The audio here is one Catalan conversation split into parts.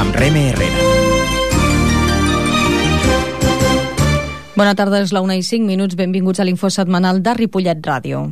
amb Reme Herrera. Bona tarda, és la 1:05. Benvinguts a l'Info Setmanal de Ripollet Ràdio.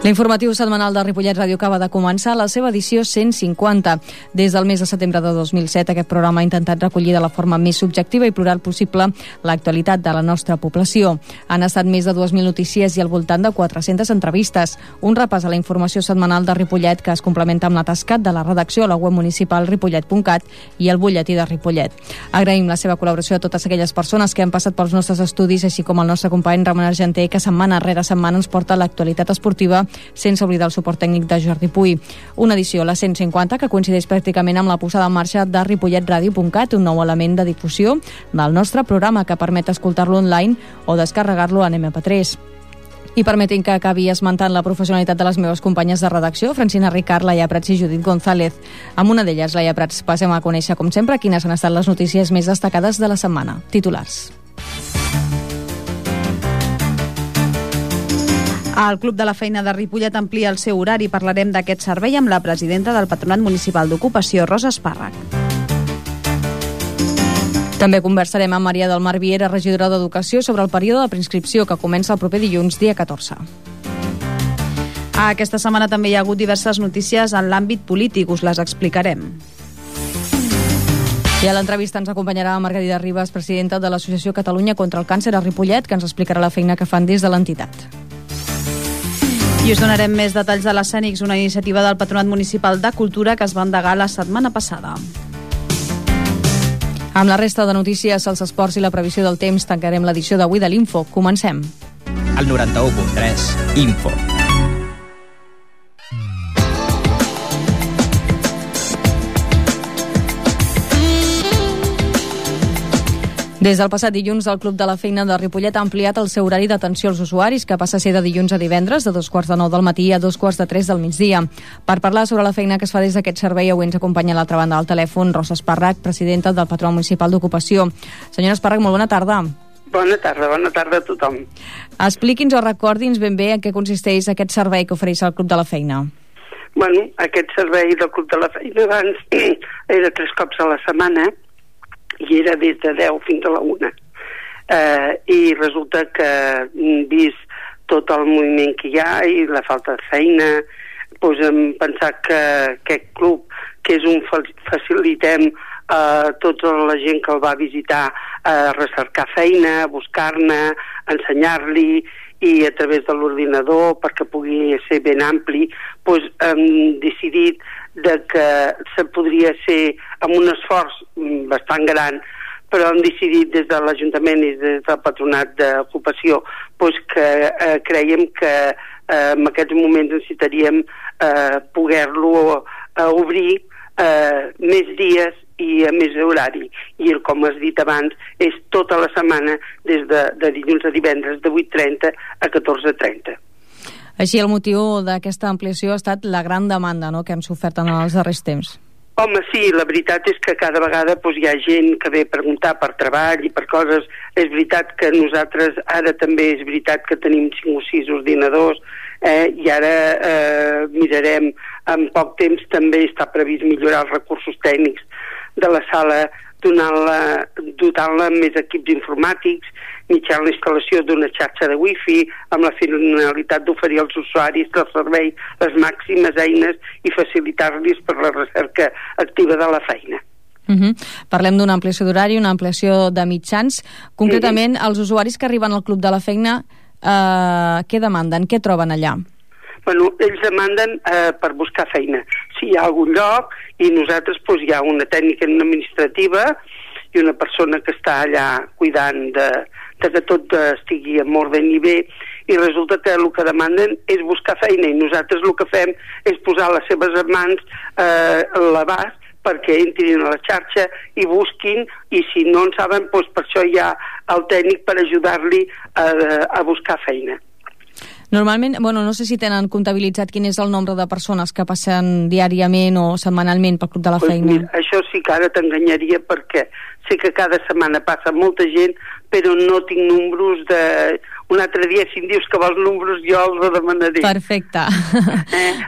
L'informatiu setmanal de Ripollet Ràdio acaba de començar la seva edició 150. Des del mes de setembre de 2007, aquest programa ha intentat recollir de la forma més subjectiva i plural possible l'actualitat de la nostra població. Han estat més de 2.000 notícies i al voltant de 400 entrevistes. Un repàs a la informació setmanal de Ripollet que es complementa amb la tasca de la redacció a la web municipal ripollet.cat i el butlletí de Ripollet. Agraïm la seva col·laboració a totes aquelles persones que han passat pels nostres estudis, així com el nostre company Ramon Argenter, que setmana rere setmana ens porta l'actualitat esportiva, sense oblidar el suport tècnic de Jordi Puy. Una edició, la 150, que coincideix pràcticament amb la posada en marxa de ripolletradio.cat, un nou element de difusió del nostre programa que permet escoltar-lo online o descarregar-lo en MP3. I permetin que acabi esmentant la professionalitat de les meves companyes de redacció, Francina Ricard, Laia Prats i Judit González. Amb una d'elles, Laia Prats, passem a conèixer, com sempre, quines han estat les notícies més destacades de la setmana. Titulars. El Club de la Feina de Ripollet amplia el seu horari. Parlarem d'aquest servei amb la presidenta del Patronat Municipal d'Ocupació, Rosa Espàrrec. També conversarem amb Maria del Mar Viera, regidora d'Educació, sobre el període de preinscripció que comença el proper dilluns, dia 14. Aquesta setmana també hi ha hagut diverses notícies en l'àmbit polític, us les explicarem. I a l'entrevista ens acompanyarà Margarida Ribas, presidenta de l'Associació Catalunya contra el Càncer a Ripollet, que ens explicarà la feina que fan des de l'entitat. I us donarem més detalls de l'Escènics, una iniciativa del Patronat Municipal de Cultura que es va endegar la setmana passada. Amb la resta de notícies, els esports i la previsió del temps, tancarem l'edició d'avui de l'Info. Comencem. El 91.3 Info. Des del passat dilluns, el Club de la Feina de Ripollet ha ampliat el seu horari d'atenció als usuaris, que passa a ser de dilluns a divendres, de 2:45 del matí a 2:45 del migdia. Per parlar sobre la feina que es fa des d'aquest servei, avui ens acompanya a l'altra banda del telèfon Rosa Espàrrec, presidenta del Patronat Municipal d'Ocupació. Senyora Espàrrec, molt bona tarda. Bona tarda a tothom. Expliqui'ns o recordi'ns ben bé en què consisteix aquest servei que ofereix el Club de la Feina. Bueno, aquest servei del Club de la Feina abans era 3 cops a la setmana, i era des de 10 fins a la 1. I resulta que, vist tot el moviment que hi ha i la falta de feina, doncs hem pensat que aquest club, que és un facilitem a tota la gent que el va visitar a recercar feina, a buscar-ne, ensenyar-li, i a través de l'ordinador, perquè pugui ser ben ampli, doncs hem decidit que se podria ser amb un esforç bastant gran, però hem decidit des de l'Ajuntament i des del Patronat d'Ocupació doncs que creiem que en aquests moments necessitaríem poder-lo obrir més dies i a més horari, i com has dit abans és tota la setmana des de dilluns a divendres de 8:30 a 14:30. Així, el motiu d'aquesta ampliació ha estat la gran demanda, no?, que han sofert en els darrers temps. Home, sí, la veritat és que cada vegada hi ha gent que ve a preguntar per treball i per coses. És veritat que nosaltres ara també és veritat que tenim 5 o 6 ordinadors, i ara mirarem, en poc temps també està previst millorar els recursos tècnics de la sala, dotant-la amb més equips informàtics, mitjançant la instal·lació d'una xarxa de wifi, amb la finalitat d'oferir als usuaris del servei les màximes eines i facilitar-los per la recerca activa de la feina. Parlem d'una ampliació d'horari, una ampliació de mitjans. Concretament, els usuaris que arriben al Club de la Feina, què demanden? Què troben allà? Bueno, ells demanden per buscar feina. Si hi ha algun lloc, i nosaltres hi ha una tècnica administrativa i una persona que està allà cuidant de que tot estigui en ordre i bé, i resulta que el que demanden és buscar feina, i nosaltres el que fem és posar les seves mans a l'abast perquè entrin a la xarxa i busquin, i si no en saben, per això hi ha el tècnic per ajudar-li a buscar feina. Normalment, no sé si tenen comptabilitzat quin és el nombre de persones que passen diàriament o setmanalment pel Club de la Feina. Mira, això sí que ara t'enganyaria, perquè sé que cada setmana passa molta gent, però no tinc números un altre dia, si em dius que vols números, jo els demanaré. Perfecte.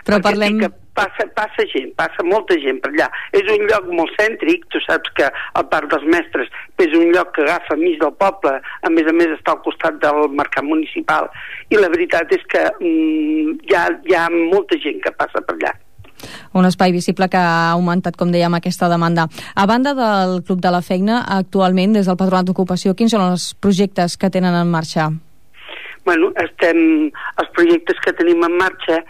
Però parlem... Sí, passa gent, passa molta gent per allà. És un lloc molt cèntric, tu saps que el Parc dels Mestres és un lloc que agafa mig del poble, a més està al costat del mercat municipal, i la veritat és que hi ha molta gent que passa per allà. Un espai visible que ha augmentat, com dèiem, aquesta demanda. A banda del Club de la Feina, actualment, des del Patronat d'Ocupació, quins són els projectes que tenen en marxa? Bueno, els projectes que tenim en marxa,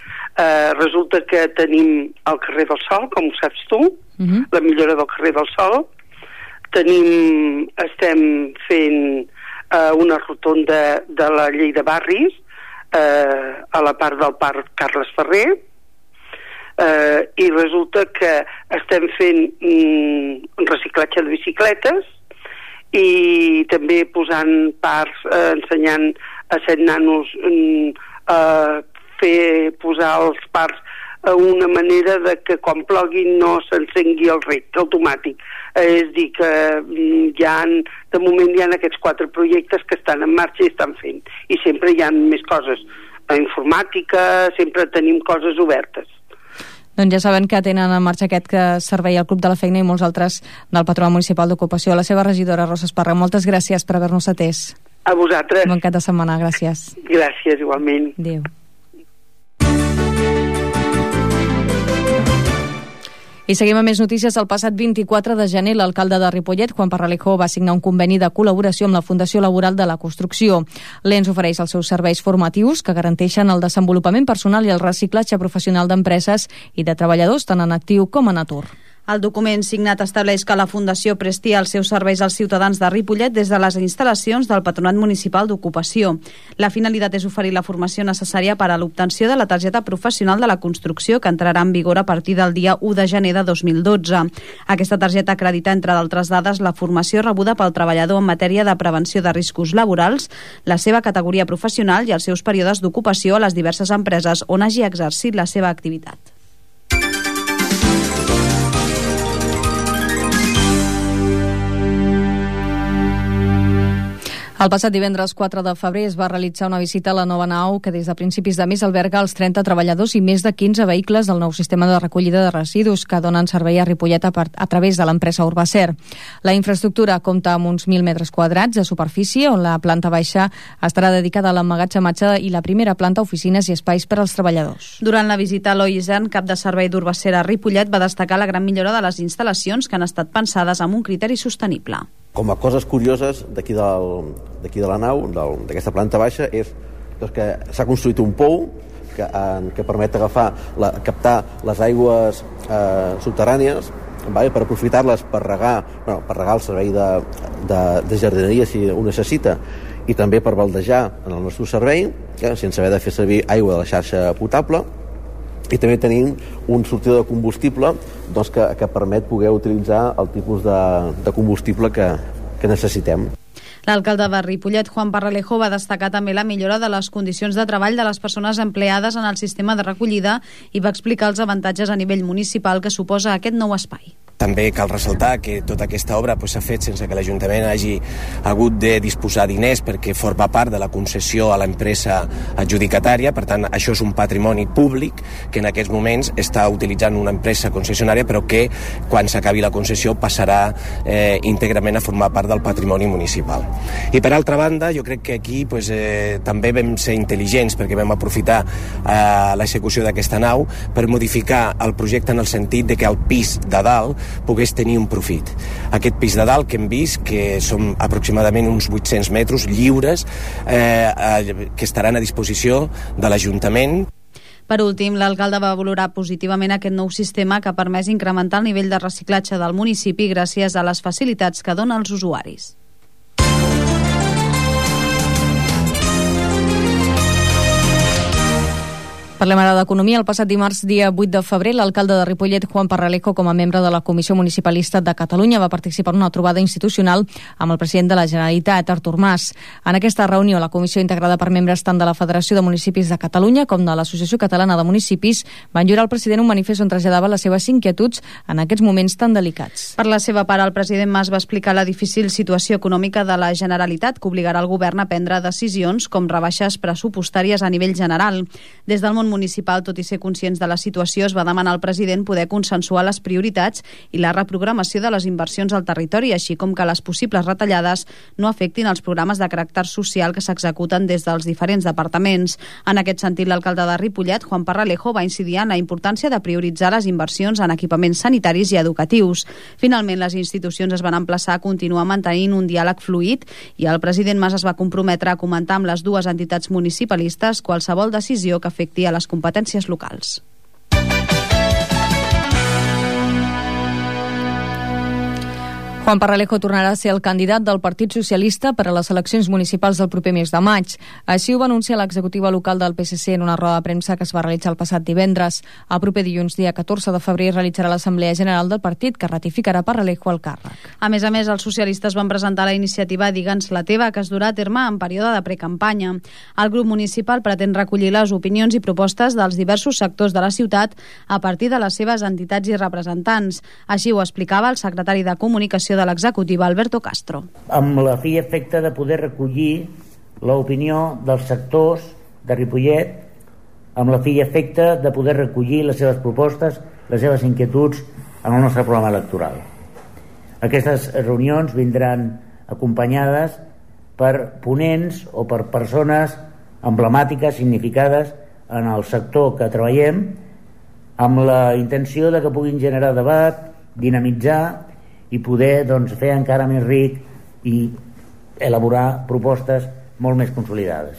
resulta que tenim el carrer del Sol, com ho saps tu, la millora del carrer del Sol. Estem fent una rotonda de la llei de barris a la part del Parc Carles Ferrer, i resulta que estem fent reciclatge de bicicletes i també posant parcs, ensenyant a 7 nanos posar els parcs a una manera de que quan plogui no s'encengui el rec automàtic. És dir, que de moment hi ha aquests 4 projectes que estan en marxa i estan fent. I sempre hi ha més coses. A informàtica, sempre tenim coses obertes. Doncs ja saben que tenen en marxa aquest servei al Club de la Feina i molts altres del Patronat Municipal d'Ocupació. La seva regidora, Rosa Esparra, moltes gràcies per haver-nos atès. A vosaltres. Bon cap de setmana, gràcies. Gràcies, igualment. Adéu. I seguim amb més notícies. El passat 24 de gener, l'alcalde de Ripollet, Juan Parralejo, va signar un conveni de col·laboració amb la Fundació Laboral de la Construcció. L'ENS ofereix els seus serveis formatius que garanteixen el desenvolupament personal i el reciclatge professional d'empreses i de treballadors tant en actiu com en atur. El document signat estableix que la Fundació presti els seus serveis als ciutadans de Ripollet des de les instal·lacions del Patronat Municipal d'Ocupació. La finalitat és oferir la formació necessària per a l'obtenció de la targeta professional de la construcció, que entrarà en vigor a partir del dia 1 de gener de 2012. Aquesta targeta acredita, entre d'altres dades, la formació rebuda pel treballador en matèria de prevenció de riscos laborals, la seva categoria professional i els seus períodes d'ocupació a les diverses empreses on hagi exercit la seva activitat. El passat divendres 4 de febrer es va realitzar una visita a la nova nau que des de principis de mes alberga els 30 treballadors i més de 15 vehicles del nou sistema de recollida de residus que donen servei a Ripollet a través de l'empresa Urbacer. La infraestructura compta amb uns 1.000 metres quadrats de superfície, on la planta baixa estarà dedicada a l'emmagatzematge i la primera planta oficines i espais per als treballadors. Durant la visita, Eloi Isern, cap de servei d'Urbacer a Ripollet, va destacar la gran millora de les instal·lacions que han estat pensades amb un criteri sostenible. Com a coses curioses d'aquí de la nau, d'aquesta planta baixa, és que s'ha construït un pou que permet captar les aigües subterrànies, per aprofitar-les per regar el servei de jardineria si ho necessita, i també per baldejar en el nostre servei, sense haver de fer servir aigua de la xarxa potable. I també tenim un sortidor de combustible que permet poder utilitzar el tipus de combustible que necessitem. L'alcalde de Ripollet, Juan Parralejo, va destacar també la millora de les condicions de treball de les persones empleades en el sistema de recollida i va explicar els avantatges a nivell municipal que suposa aquest nou espai. També cal ressaltar que tota aquesta obra s'ha fet sense que l'Ajuntament hagi hagut de disposar diners perquè forma part de la concessió a l'empresa adjudicatària. Per tant, això és un patrimoni públic que en aquests moments està utilitzant una empresa concessionària, però que quan s'acabi la concessió passarà íntegrament a formar part del patrimoni municipal. I per altra banda, jo crec que aquí també vam ser intel·ligents perquè vam aprofitar l'execució d'aquesta nau per modificar el projecte en el sentit de que el pis de dalt pogués tenir un profit. Aquest pis de dalt que hem vist, que són aproximadament uns 800 metres lliures, que estaran a disposició de l'Ajuntament. Per últim, l'alcalde va valorar positivament aquest nou sistema que ha permès incrementar el nivell de reciclatge del municipi gràcies a les facilitats que dona als usuaris. Parlem ara d'economia. El passat dimarts, dia 8 de febrer, l'alcalde de Ripollet, Juan Parralejo, com a membre de la Comissió Municipalista de Catalunya, va participar en una trobada institucional amb el president de la Generalitat, Artur Mas. En aquesta reunió, la comissió, integrada per membres tant de la Federació de Municipis de Catalunya com de l'Associació Catalana de Municipis, van lliurar al president un manifest on traslladava les seves inquietuds en aquests moments tan delicats. Per la seva part, el president Mas va explicar la difícil situació econòmica de la Generalitat, que obligarà el govern a prendre decisions com rebaixes pressupostàries a nivell general. Des del món municipal, tot i ser conscients de la situació, es va demanar al president poder consensuar les prioritats i la reprogramació de les inversions al territori, així com que les possibles retallades no afectin els programes de caràcter social que s'executen des dels diferents departaments. En aquest sentit, l'alcalde de Ripollet, Juan Parralejo, va incidir en la importància de prioritzar les inversions en equipaments sanitaris i educatius. Finalment, les institucions es van emplaçar a continuar mantenint un diàleg fluid i el president Mas es va comprometre a comentar amb les dues entitats municipalistes qualsevol decisió que afecti a les competències locals. Juan Parralejo tornarà a ser el candidat del Partit Socialista per a les eleccions municipals del proper mes de maig. Així ho va anunciar l'executiva local del PSC en una roda de premsa que es va realitzar el passat divendres. El proper dilluns, dia 14 de febrer, realitzarà l'Assemblea General del partit, que ratificarà Parralejo al càrrec. A més, els socialistes van presentar la iniciativa Digue'ns la teva, que es durà a terme en període de precampanya. El grup municipal pretén recollir les opinions i propostes dels diversos sectors de la ciutat a partir de les seves entitats i representants. Així ho explicava el secretari de Comunicació de l'executiva, Alberto Castro. Amb la fi i efecte de poder recollir l'opinió dels sectors de Ripollet, amb la fi i efecte de poder recollir les seves propostes, les seves inquietuds en el nostre programa electoral. Aquestes reunions vindran acompanyades per ponents o per persones emblemàtiques, significades en el sector que treballem, amb la intenció de que puguin generar debat, dinamitzar i poder fer encara més ric i elaborar propostes molt més consolidades.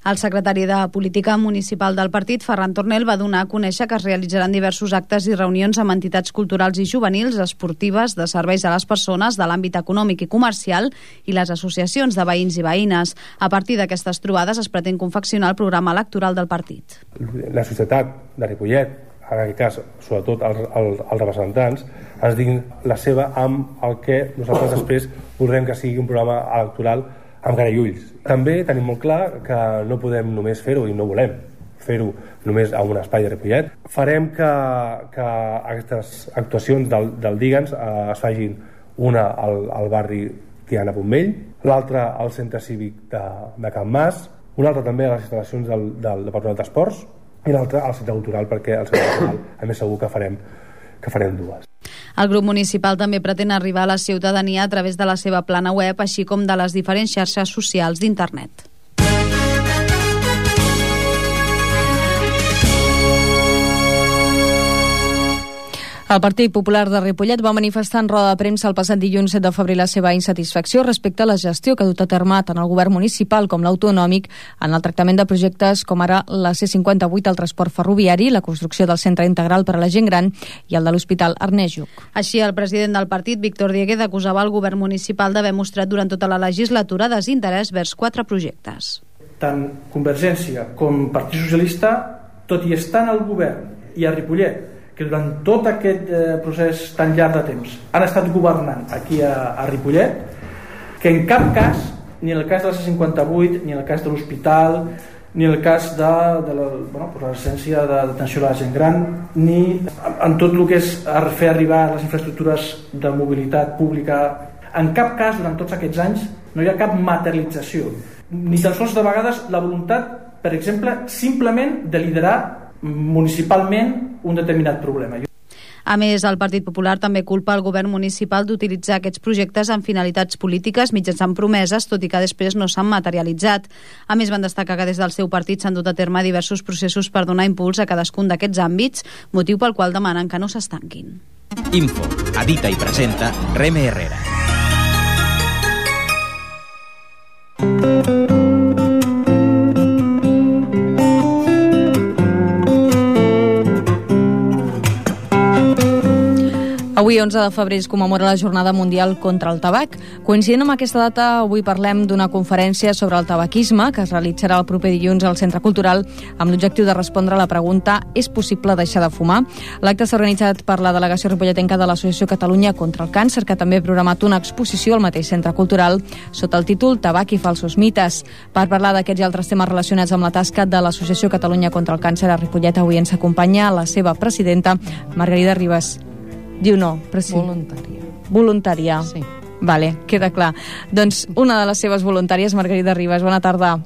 El secretari de Política Municipal del partit, Ferran Tornel, va donar a conèixer que es realitzaran diversos actes i reunions amb entitats culturals i juvenils, esportives, de serveis a les persones, de l'àmbit econòmic i comercial i les associacions de veïns i veïnes. A partir d'aquestes trobades es pretén confeccionar el programa electoral del partit. La societat de Ripollet, en aquest cas, sobretot els representants, ens diguin la seva amb el que nosaltres després voldrem que sigui un programa electoral amb cara i ulls. També tenim molt clar que no podem només fer-ho i no volem fer-ho només a un espai de Ripollet. Farem que aquestes actuacions del Digue'ns es facin una al barri Tiana Pontmell, l'altra al centre cívic de Can Mas, una altra també a les instal·lacions del Patronat d'Esports i l'altra al centre cultural, perquè al centre cultural a més segur que farem dues. El grup municipal també pretén arribar a la ciutadania a través de la seva plana web, així com de les diferents xarxes socials d'internet. El Partit Popular de Ripollet va manifestar en roda de premsa el passat dilluns 7 de febrer la seva insatisfacció respecte a la gestió que ha dut a terme tant el govern municipal com l'autonòmic en el tractament de projectes com ara la C58, el transport ferroviari, la construcció del centre integral per a la gent gran i el de l'Hospital Ernest Lluch. Així, el president del partit, Víctor Dieguez, acusava el govern municipal d'haver mostrat durant tota la legislatura desinterès vers 4 projectes. Tant Convergència com Partit Socialista, tot i estar en el govern i a Ripollet, que durant tot aquest procés tan llarg de temps han estat governant aquí a Ripollet, que en cap cas, ni en el cas de la C58, ni en el cas de l'hospital, ni en el cas de la residència d'atenció a la gent gran, ni en tot el que és fer arribar les infraestructures de mobilitat pública, en cap cas durant tots aquests anys no hi ha cap materialització, ni tan sols de vegades la voluntat, per exemple, simplement de liderar municipalment un determinat problema. A més, el Partit Popular també culpa el govern municipal d'utilitzar aquests projectes amb finalitats polítiques mitjançant promeses, tot i que després no s'han materialitzat. A més, van destacar que des del seu partit s'han dut a terme diversos processos per donar impuls a cadascun d'aquests àmbits, motiu pel qual demanen que no s'estanquin. Info, edita i presenta Reme Herrera. Avui Avui, 11 de febrer, es commemora la Jornada Mundial contra el Tabac. Coincidint amb aquesta data, avui parlem d'una conferència sobre el tabaquisme que es realitzarà el proper dilluns al Centre Cultural amb l'objectiu de respondre a la pregunta «És possible deixar de fumar?». L'acte s'ha organitzat per la delegació ripolletenca de l'Associació Catalunya contra el Càncer, que també ha programat una exposició al mateix Centre Cultural sota el títol «Tabac i falsos mites». Per parlar d'aquests i altres temes relacionats amb la tasca de l'Associació Catalunya contra el Càncer a Ripollet, avui ens acompanya la seva presidenta, Margarida Ribas. Diu no, voluntària. Voluntària. Sí. Vale, queda clar. Doncs una de les seves voluntàries, Margarida Ribas. Bona tarda.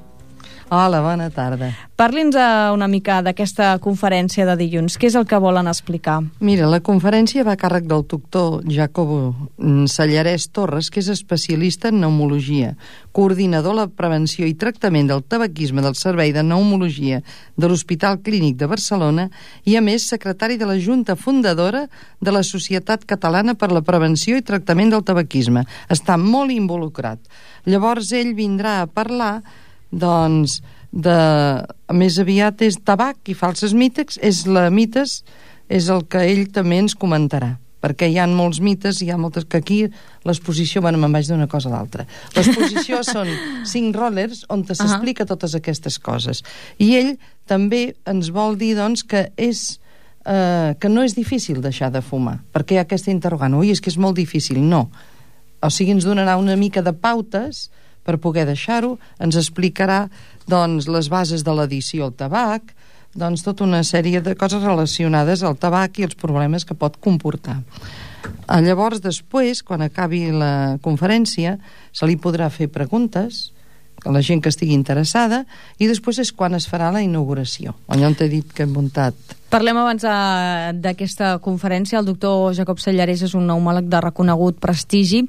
Hola, bona tarda. Parli'ns una mica d'aquesta conferència de dilluns. Què és el que volen explicar? Mira, la conferència va a càrrec del doctor Jacobo Sallarès Torres, que és especialista en pneumologia, coordinador de la prevenció i tractament del tabaquisme del Servei de Pneumologia de l'Hospital Clínic de Barcelona i, a més, secretari de la Junta Fundadora de la Societat Catalana per la Prevenció i Tractament del Tabaquisme. Està molt involucrat. Llavors, ell vindrà a parlar doncs, més aviat és tabac i falses mites, és el que ell també ens comentarà, perquè hi ha molts mites, hi ha moltes que aquí l'exposició, bueno, me'n vaig d'una cosa a l'altra. L'exposició són 5 rollers on s'explica totes aquestes coses. I ell també ens vol dir, doncs, que no és difícil deixar de fumar, perquè hi ha aquesta interrogant, ui, és que és molt difícil. No. O sigui, ens donarà una mica de pautes per poder deixar-ho, ens explicarà doncs, les bases de l'addició al tabac, doncs tota una sèrie de coses relacionades al tabac i els problemes que pot comportar. Llavors, després, quan acabi la conferència, se li podrà fer preguntes a la gent que estigui interessada i després és quan es farà la inauguració. Allò on t'he dit que hem muntat. Parlem abans d'aquesta conferència. El doctor Jacob Sallarès és un pneumòleg de reconegut prestigi.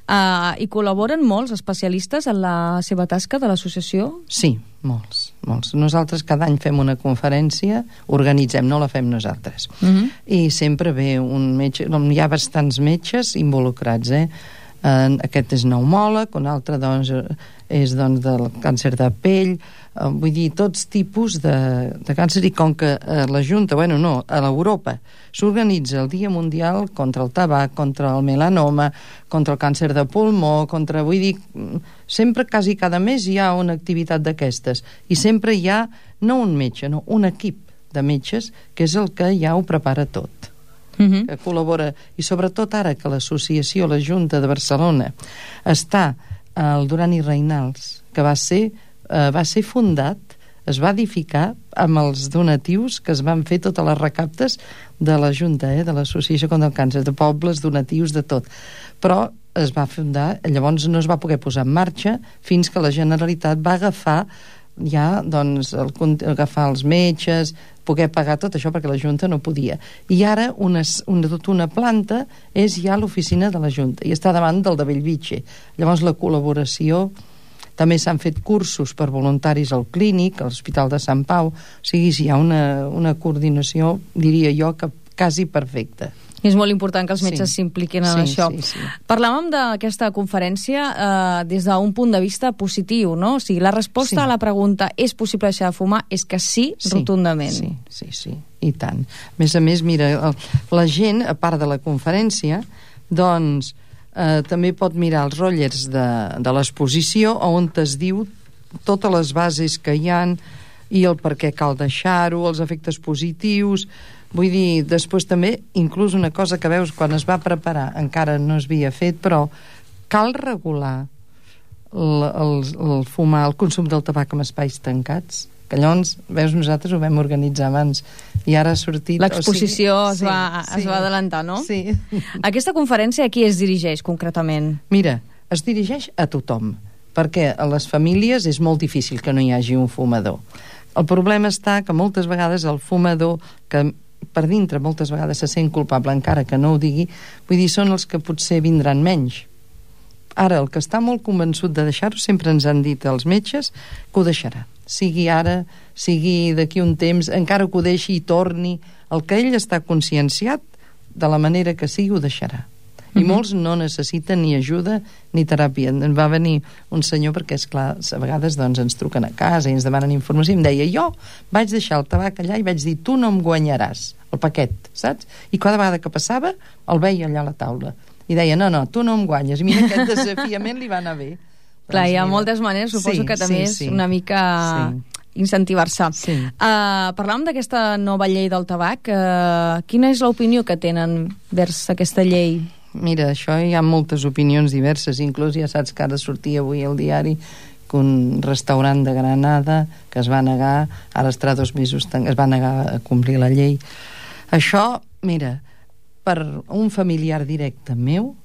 Hi col·laboren molts especialistes en la seva tasca de l'associació? Sí, molts. Nosaltres cada any fem una conferència, organitzem, no la fem nosaltres. I sempre ve un metge, hi ha bastants metges involucrats, aquest és pneumòleg, un altre doncs, és doncs, del càncer de pell, vull dir, tots tipus de càncer, i com que la Junta, a l'Europa s'organitza el Dia Mundial contra el tabac, contra el melanoma, contra el càncer de pulmó, vull dir, sempre, quasi cada mes hi ha una activitat d'aquestes, i sempre hi ha, no un metge, no, un equip de metges, que és el que ja ho prepara tot. Que col·labora, i sobretot ara que l'associació, la Junta de Barcelona, està al Duran i Reynals, que va ser fundat, es va edificar amb els donatius que es van fer totes les recaptes de la Junta, de l'Associació contra el Càncer, de pobles, donatius, de tot. Però es va fundar, llavors no es va poder posar en marxa fins que la Generalitat va agafar agafar els metges, poder pagar tot això perquè la Junta no podia. I ara tota una planta és ja l'oficina de la Junta i està davant del de Bellvitge. Llavors la col·laboració, també s'han fet cursos per voluntaris al clínic, a l'Hospital de Sant Pau, o sigui, hi ha una coordinació, diria jo, que quasi perfecta. És molt important que els metges s'impliquin en això. Sí. Parlàvem d'aquesta conferència des d'un punt de vista positiu, no? O sigui, la resposta a la pregunta «és possible deixar de fumar?» és que sí, rotundament. Sí, i tant. A més, mira, la gent, a part de la conferència, doncs, també pot mirar els rotllers de l'exposició on es diu totes les bases que hi ha i el per què cal deixar-ho, els efectes positius. Vull dir, després també, inclús una cosa que veus quan es va preparar, encara no es havia fet, però cal regular el fumar, el consum del tabac en espais tancats, que llavors, veus, nosaltres ho vam organitzar abans i ara ha sortit... L'exposició es va adelantar, no? Sí. Aquesta conferència a qui es dirigeix concretament? Mira, es dirigeix a tothom, perquè a les famílies és molt difícil que no hi hagi un fumador. El problema està que moltes vegades el fumador, que per dintre moltes vegades se sent culpable encara que no ho digui, vull dir, són els que potser vindran menys. Ara, el que està molt convençut de deixar-ho, sempre ens han dit els metges que ho deixarà, sigui ara, sigui d'aquí un temps, encara que ho deixi i torni, el que ell està conscienciat de la manera que sigui ho deixarà. I molts no necessiten ni ajuda ni teràpia. Va venir un senyor, perquè és clar, a vegades doncs, ens truquen a casa i ens demanen informació, i em deia, jo vaig deixar el tabac allà i vaig dir, tu no em guanyaràs el paquet, saps? I cada vegada que passava el veia allà a la taula i deia, no, tu no em guanyes. I mira, aquest desafiament li va anar bé. Clar, hi ha moltes maneres, suposo que també és una mica incentivar-se. Parlàvem d'aquesta nova llei del tabac. Quina és l'opinió que tenen vers aquesta llei? Mira, això hi ha moltes opinions diverses, inclús ja saps que ara sortia avui al diari que un restaurant de Granada que es va negar, ara estarà 2 mesos, es va negar a complir la llei. Això, mira, per un familiar directe meu,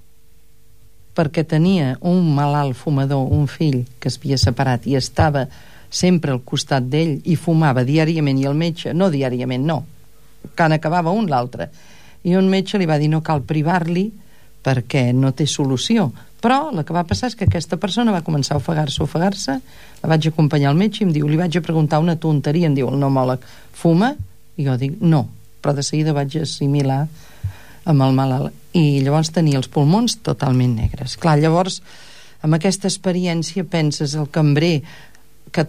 perquè tenia un malalt fumador, un fill que es havia separat i estava sempre al costat d'ell i fumava diàriament, i el metge, no diàriament, no, quan acabava un l'altre, i un metge li va dir no cal privar-li perquè no té solució. Però el que va passar és que aquesta persona va començar a ofegar-se, la vaig acompanyar al metge i em diu, li vaig a preguntar una tonteria, em diu el pneumòleg, fuma? I jo dic, no, però de seguida vaig assimilar amb el malalt, i llavors tenia els pulmons totalment negres. Clar, llavors, amb aquesta experiència penses, el cambrer, que,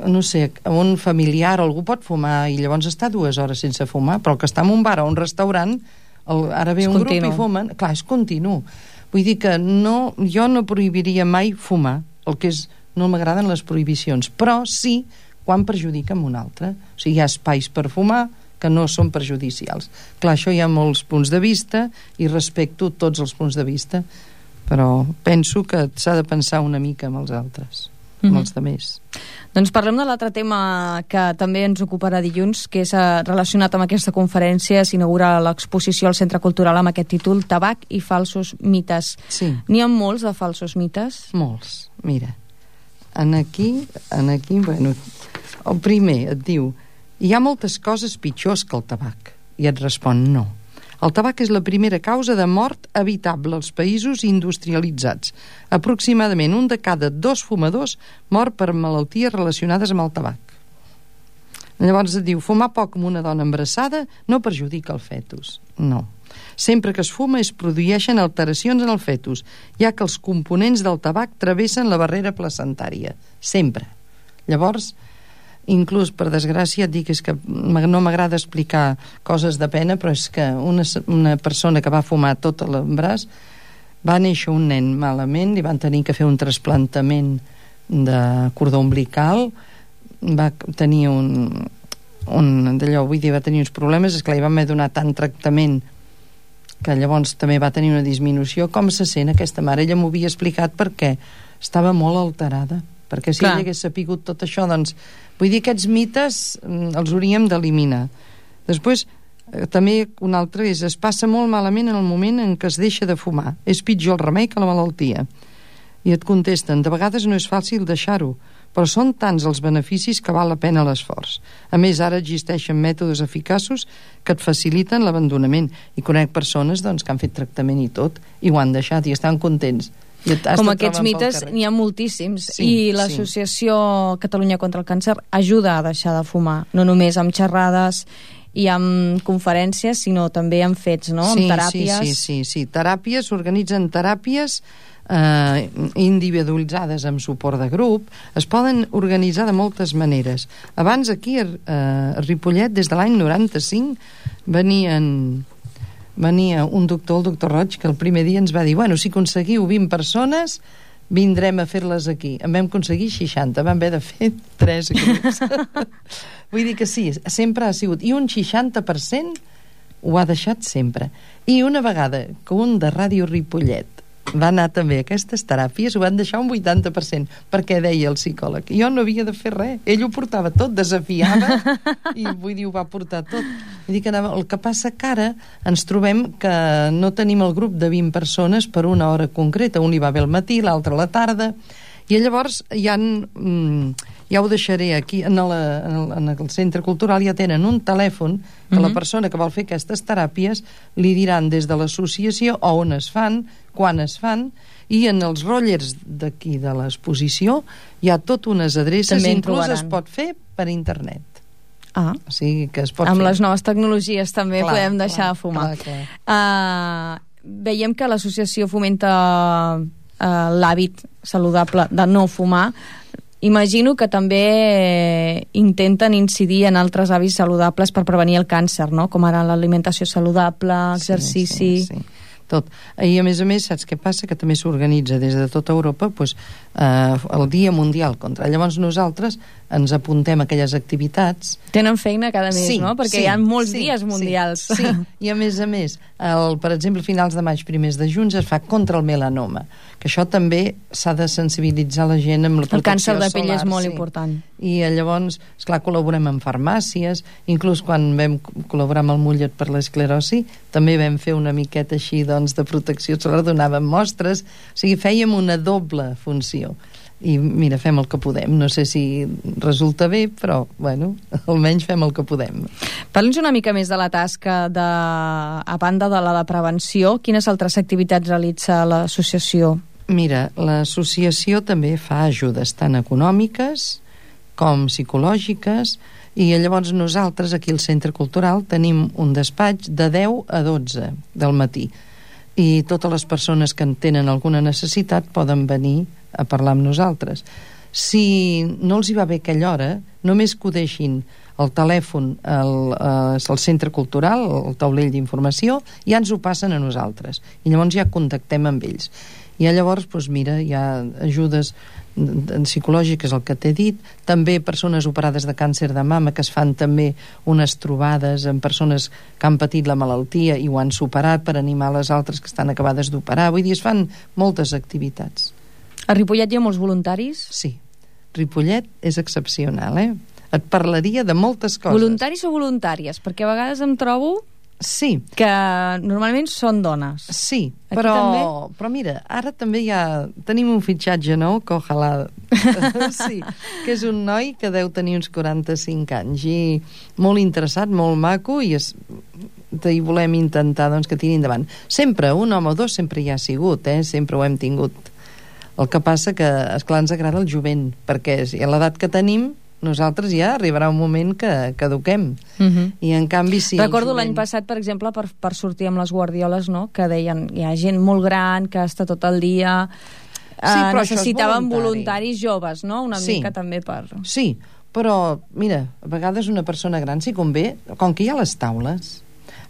no sé, un familiar o algú pot fumar i llavors està 2 hores sense fumar, però el que està en un bar o un restaurant, ara ve un grup i fumen, clar, és continu. Vull dir que jo no prohibiria mai fumar, el que és, no m'agraden les prohibicions, però sí quan perjudica un altre. O sigui, hi ha espais per fumar que no són perjudicials. Clar, això hi ha molts punts de vista i respecto tots els punts de vista, però penso que s'ha de pensar una mica amb els altres, amb els altres. Doncs parlem de l'altre tema que també ens ocuparà dilluns, que és relacionat amb aquesta conferència. S'inaugura l'exposició al Centre Cultural amb aquest títol, Tabac i falsos mites. Sí. N'hi ha molts de falsos mites? Molts. Mira, aquí, bueno, el primer et diu, hi ha moltes coses pitjors que el tabac. I et respon, no. El tabac és la primera causa de mort evitable als països industrialitzats. Aproximadament 1 de cada 2 fumadors mor per malalties relacionades amb el tabac. Llavors et diu, fumar poc amb una dona embarassada no perjudica el fetus. No. Sempre que es fuma es produeixen alteracions en el fetus, ja que els components del tabac travessen la barrera placentària. Sempre. Llavors, inclús, per desgràcia, et dic, és que no m'agrada explicar coses de pena, però és que una persona que va fumar tot l'embaràs, va néixer un nen malament, li van tenir que fer un trasplantament de cordó umbilical, va tenir va tenir uns problemes, esclar, li van haver donat tant tractament que llavors també va tenir una disminució. Com se sent aquesta mare? Ella m'ho havia explicat perquè estava molt alterada, perquè si ella hagués sapigut tot això, doncs vull dir, aquests mites els hauríem d'eliminar. Després, també un altre és, es passa molt malament en el moment en què es deixa de fumar. És pitjor el remei que la malaltia. I et contesten, de vegades no és fàcil deixar-ho, però són tants els beneficis que val la pena l'esforç. A més, ara existeixen mètodes eficaços que et faciliten l'abandonament. I conec persones doncs, que han fet tractament i tot, i ho han deixat i estan contents. Com aquests mites n'hi ha moltíssims, i l'Associació Catalunya contra el Càncer ajuda a deixar de fumar, no només amb xerrades i amb conferències, sinó també amb fets, no? Amb teràpies. Sí, teràpies, s'organitzen teràpies individualitzades amb suport de grup, es poden organitzar de moltes maneres. Abans aquí a Ripollet, des de l'any 95, venia un doctor, el doctor Roig, que el primer dia ens va dir, bueno, si aconseguiu 20 persones, vindrem a fer-les aquí. En vam aconseguir 60, vam haver de fer 3 grups. Vull dir que sí, sempre ha sigut. I un 60% ho ha deixat sempre. I una vegada que un de Ràdio Ripollet va anar també a aquestes teràpies, ho van deixar un 80%, perquè deia el psicòleg, jo no havia de fer res, ell ho portava tot, desafiava, i vull dir, ho va portar tot. Vull dir que el que passa que ara ens trobem que no tenim el grup de 20 persones per una hora concreta, un hi va bé al matí, l'altre a la tarda, i llavors ja ho deixaré aquí, en el centre cultural ja tenen un telèfon que la persona que vol fer aquestes teràpies li diran des de l'associació on es fan, quan es fan, i en els rotllers d'aquí de l'exposició hi ha tot unes adreces, inclús es pot fer per internet. O sigui que es pot amb fer. Les noves tecnologies també podem deixar de fumar. veiem que l'associació fomenta l'hàbit saludable de no fumar. Imagino que també intenten incidir en altres hàbits saludables per prevenir el càncer, no? Com ara l'alimentació saludable, exercici... Sí. Tot. I a més, saps què passa? Que també s'organitza des de tota Europa el Dia Mundial contra. Llavors nosaltres ens apuntem a aquelles activitats. Tenen feina cada mes, no? Perquè hi ha molts dies mundials. Sí. I a més, per exemple, a finals de maig, primers de juny, es fa contra el melanoma, que això també s'ha de sensibilitzar la gent amb la protecció solar. El càncer de pell és molt important. I llavors, esclar, col·laborem amb farmàcies, inclús quan vam col·laborar amb el Mollet per l'esclerosi, també vam fer una miqueta així, doncs, de protecció solar, donàvem mostres, o sigui, fèiem una doble funció. I mira, fem el que podem. No sé si resulta bé, però, bueno, almenys fem el que podem. Parli'ns una mica més de la tasca a banda de la de prevenció. Quines altres activitats realitza l'associació? Mira, l'associació també fa ajudes tant econòmiques com psicològiques, i llavors nosaltres aquí al Centre Cultural tenim un despatx de 10 a 12 del matí, i totes les persones que en tenen alguna necessitat poden venir a parlar amb nosaltres. Si no els hi va bé aquella hora, només que ho deixin el telèfon al Centre Cultural, el taulell d'informació, ja ens ho passen a nosaltres, i llavors ja contactem amb ells. I llavors, doncs mira, hi ha ajudes psicològiques, el que t'he dit, també persones operades de càncer de mama, que es fan també unes trobades amb persones que han patit la malaltia i ho han superat, per animar les altres que estan acabades d'operar. Vull dir, es fan moltes activitats. A Ripollet hi ha molts voluntaris? Sí, Ripollet és excepcional, Et parlaria de moltes coses. Voluntaris o voluntàries? Perquè a vegades em trobo... Sí. Que normalment són dones. Sí, però mira, ara també tenim un fitxatge nou que ojalà... Sí, que és un noi que deu tenir uns 45 anys i molt interessat, molt maco, i volem intentar doncs, que tiri endavant. Sempre, un home o dos sempre hi ha sigut, sempre ho hem tingut. El que passa que, esclar, ens agrada el jovent, perquè a l'edat que tenim nosaltres ja arribarà un moment que caduquem. I en canvi sí... Recordo l'any passat, per exemple, per sortir amb les guardioles, no?, que deien, hi ha gent molt gran que està tot el dia... necessitaven voluntaris joves, no?, una mica també per... Sí, però, mira, a vegades una persona gran, si convé, com que hi ha les taules,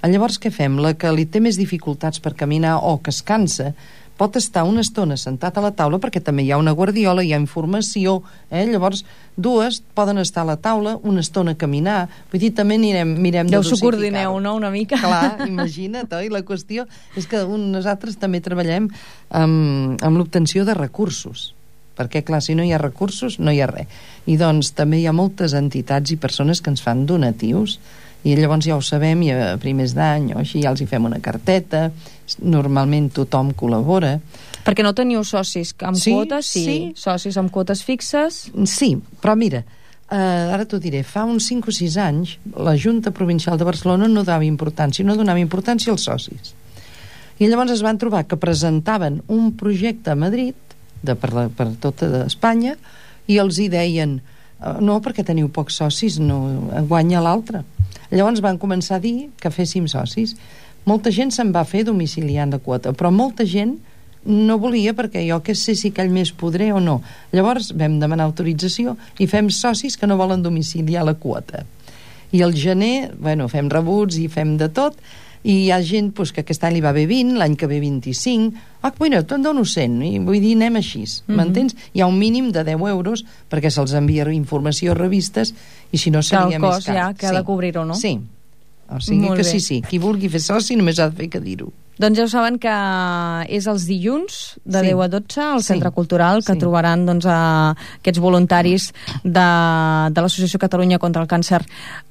llavors què fem? La que li té més dificultats per caminar o que es cansa, pot estar una estona sentat a la taula, perquè també hi ha una guardiola, hi ha informació, llavors dues poden estar a la taula, una estona a caminar, vull dir, també mirem de dosificar. S'ho coordineu, no?, una mica. Clar, imagina't, oi? La qüestió és que nosaltres també treballem amb l'obtenció de recursos, perquè, clar, si no hi ha recursos, no hi ha res. I doncs també hi ha moltes entitats i persones que ens fan donatius, i llavors ja ho sabem, i a primers d'any o així ja els hi fem una carteta, normalment tothom col·labora. Perquè no teniu socis amb quotes? Sí. Socis amb quotes fixes? Sí, però mira, ara t'ho diré, fa uns 5 o 6 anys la Junta Provincial de Barcelona no donava importància als socis. I llavors es van trobar que presentaven un projecte a Madrid per tota Espanya i els hi deien no, perquè teniu pocs socis, no guanya l'altre. Llavors van començar a dir que féssim socis. Molta gent se'n va fer domiciliant la quota, però molta gent no volia, perquè jo que sé si aquell mes podré o no. Llavors vam demanar autorització i fem socis que no volen domiciliar la quota. I al gener, fem rebuts i fem de tot, i hi ha gent que aquest any li va bé 20, l'any que ve 25, te'n dono 100, i vull dir, anem així, m'entens? Hi ha un mínim de 10 euros perquè se'ls envia informació a revistes, i si no seria més car. Que el cost ja que ha de cobrir-ho, no? Sí, o sigui que sí, qui vulgui fer soci només ha de fer que dir-ho. Doncs ja ho saben que és els dilluns de 10 a 12 al Centre Cultural, que trobaran aquests voluntaris de l'Associació Catalunya contra el Càncer.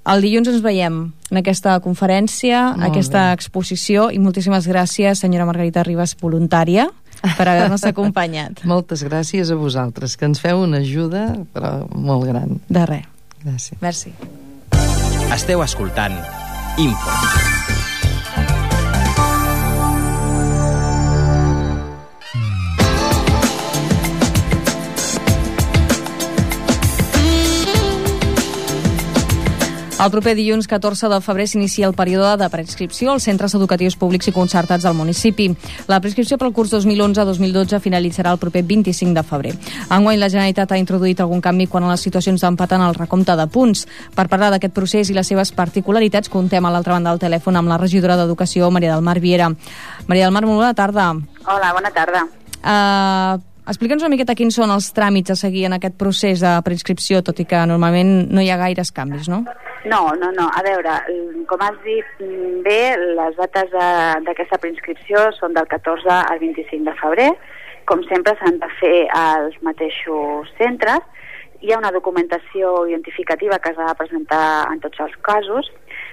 El dilluns ens veiem en aquesta conferència, aquesta exposició, i moltíssimes gràcies, senyora Margarita Ribas, voluntària, per haver-nos acompanyat. Moltes gràcies a vosaltres, que ens feu una ajuda però molt gran. De res. Gràcies. Merci. Esteu escoltant Info. El proper dilluns 14 de febrer s'inicia el període de preinscripció als centres educatius públics i concertats del municipi. La preinscripció pel curs 2011-2012 finalitzarà el proper 25 de febrer. Enguany la Generalitat ha introduït algun canvi quan a les situacions d'empat en el recompte de punts. Per parlar d'aquest procés i les seves particularitats, contem a l'altra banda del telèfon amb la regidora d'Educació, Maria del Mar Viera. Maria del Mar, molt bona tarda. Hola, bona tarda. Explica'ns una miqueta quins són els tràmits a seguir en aquest procés de preinscripció, tot i que normalment no hi ha gaires canvis, no? No. A veure, com has dit bé, les dates d'aquesta preinscripció són del 14 al 25 de febrer. Com sempre s'han de fer als mateixos centres. Hi ha una documentació identificativa que s'ha de presentar en tots els casos,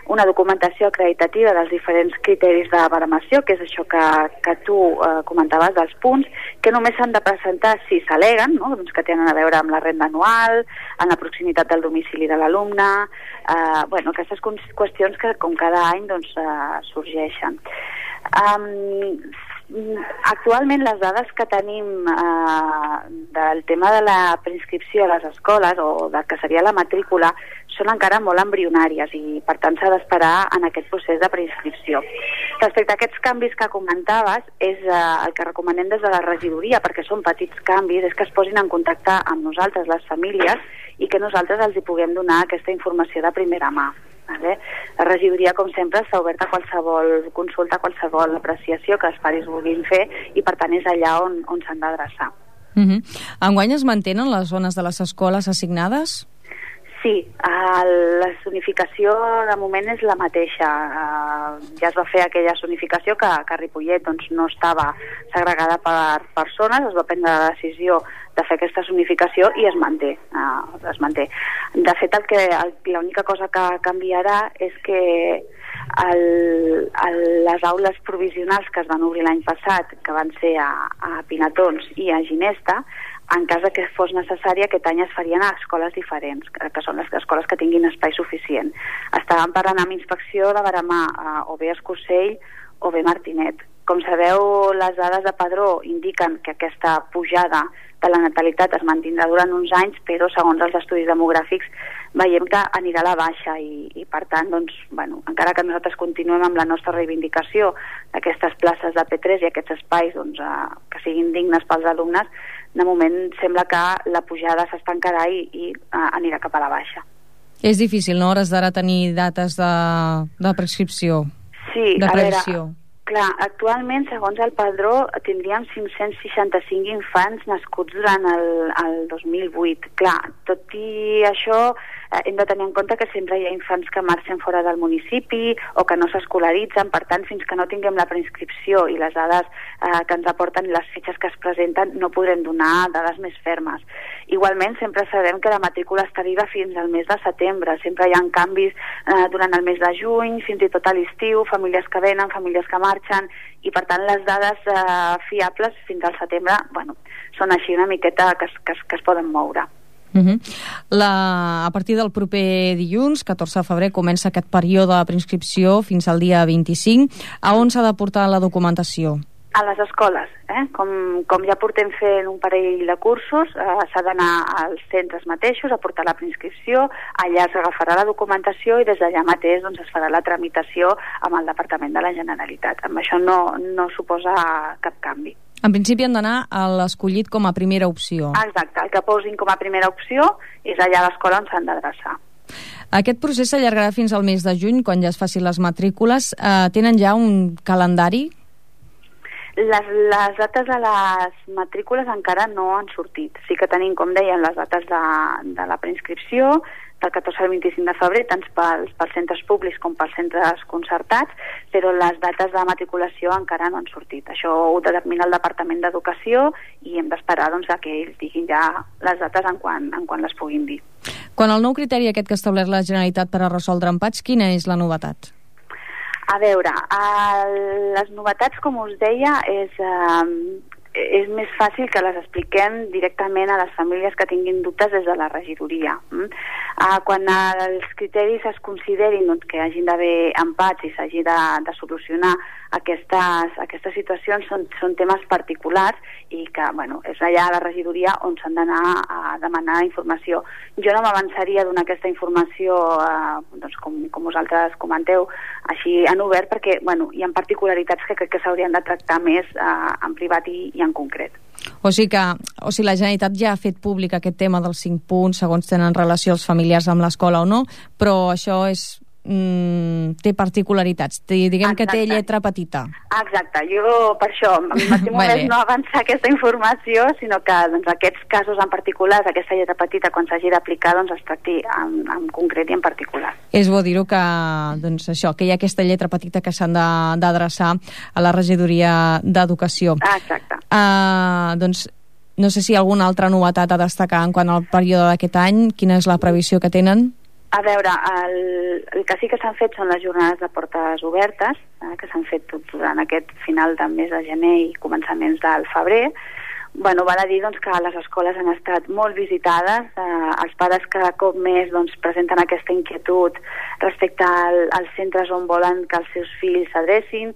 una documentació acreditativa dels diferents criteris de baremació, que és això que tu comentaves dels punts, que només s'han de presentar si s'al·leguen, no? Doncs que tenen a veure amb la renda anual, amb la proximitat del domicili de l'alumne, aquestes qüestions que com cada any doncs, sorgeixen. Actualment les dades que tenim del tema de la preinscripció a les escoles o del que seria la matrícula són encara molt embrionàries i per tant s'ha d'esperar en aquest procés de preinscripció. Respecte a aquests canvis que comentaves, és el que recomanem des de la regidoria, perquè són petits canvis, és que es posin en contacte amb nosaltres, les famílies, i que nosaltres els hi puguem donar aquesta informació de primera mà. La regidoria, com sempre, està oberta a qualsevol consulta, a qualsevol apreciació que els pares vulguin fer i, per tant, és allà on s'han d'adreçar. Enguany es mantenen les zones de les escoles assignades? Sí, la zonificació de moment és la mateixa. Ja es va fer aquella zonificació que a Ripollet doncs, no estava segregada per zones, es va prendre la decisió de fer aquesta zonificació i es manté. De fet, l'única cosa que canviarà és que les aules provisionals que es van obrir l'any passat, que van ser a Pinatons i a Ginesta, en cas que fos necessari, aquest any es farien a escoles diferents, que són les escoles que tinguin espai suficient. Estàvem parlant amb inspecció de Veremar, o bé Escursell o bé Martinet. Com sabeu, les dades de Padró indiquen que aquesta pujada de la natalitat es mantindrà durant uns anys, però segons els estudis demogràfics veiem que anirà a la baixa i per tant, doncs, encara que nosaltres continuem amb la nostra reivindicació d'aquestes places de P3 i aquests espais doncs, que siguin dignes pels alumnes, de moment sembla que la pujada s'estancarà i anirà cap a la baixa. És difícil, no?, hores d'ara tenir dates de prescripció, de previsió. Clar, actualment, segons el Padró, tindríem 565 infants nascuts durant el 2008. Clar, tot i això, hem de tenir en compte que sempre hi ha infants que marxen fora del municipi o que no s'escolaritzen, per tant, fins que no tinguem la preinscripció i les dades que ens aporten les fitxes que es presenten, no podrem donar dades més fermes. Igualment, sempre sabem que la matrícula està viva fins al mes de setembre. Sempre hi ha canvis durant el mes de juny, fins i tot a l'estiu, famílies que venen, famílies que marxen, i per tant les dades fiables fins al setembre són així una miqueta que es poden moure. A partir del proper dilluns, 14 de febrer, comença aquest període de preinscripció fins al dia 25. A on s'ha de portar la documentació? A les escoles, com ja portem fent un parell de cursos, s'ha d'anar als centres mateixos a portar la preinscripció, allà s'agafarà la documentació i des d'allà mateix doncs, es farà la tramitació amb el Departament de la Generalitat. Amb això no suposa cap canvi. En principi han d'anar a l'escollit com a primera opció. Exacte, el que posin com a primera opció és allà a l'escola on s'han d'adreçar. Aquest procés s'allargarà fins al mes de juny, quan ja es facin les matrícules. Tenen ja un calendari? Les dates de les matrícules encara no han sortit. Sí que tenim, com deien, les dates de la preinscripció, del 14 al 25 de febrer, tant pels centres públics com pels centres concertats, però les dates de matriculació encara no han sortit. Això ho determina el Departament d'Educació i hem d'esperar que ells diguin ja les dates en quan les puguin dir. Quan el nou criteri aquest que ha establert la Generalitat per a resoldre empats, quina és la novetat? A veure, les novetats, com us deia, és és més fàcil que les expliquem directament a les famílies que tinguin dubtes des de la regidoria. Quan els criteris es considerin que hagin d'haver empats i s'hagi de solucionar aquestes situacions, són temes particulars i que és allà a la regidoria on s'han d'anar a demanar informació. Jo no m'avançaria a donar aquesta informació com vosaltres comenteu així en obert, perquè hi ha particularitats que crec que s'haurien de tractar més en privat i en concret. O sigui la Generalitat ja ha fet públic aquest tema dels 5 punts, segons tenen relació els familiars amb l'escola o no, però això té particularitats, diguem que té lletra petita. Exacte, jo per això m'estimo més no avançar aquesta informació, sinó que aquests casos en particular, aquesta lletra petita, quan s'hagi d'aplicar, es tracti en concret i en particular. És bo dir-ho que hi ha aquesta lletra petita que s'han d'adreçar a la regidoria d'Educació. Exacte. No sé si hi ha alguna altra novetat a destacar en quant al període d'aquest any. Quina és la previsió que tenen? A veure, el que sí que s'han fet són les jornades de portes obertes, que s'han fet durant aquest final del mes de gener i començaments del febrer. Val a dir que les escoles han estat molt visitades, els pares cada cop més presenten aquesta inquietud respecte als centres on volen que els seus fills s'adrecin.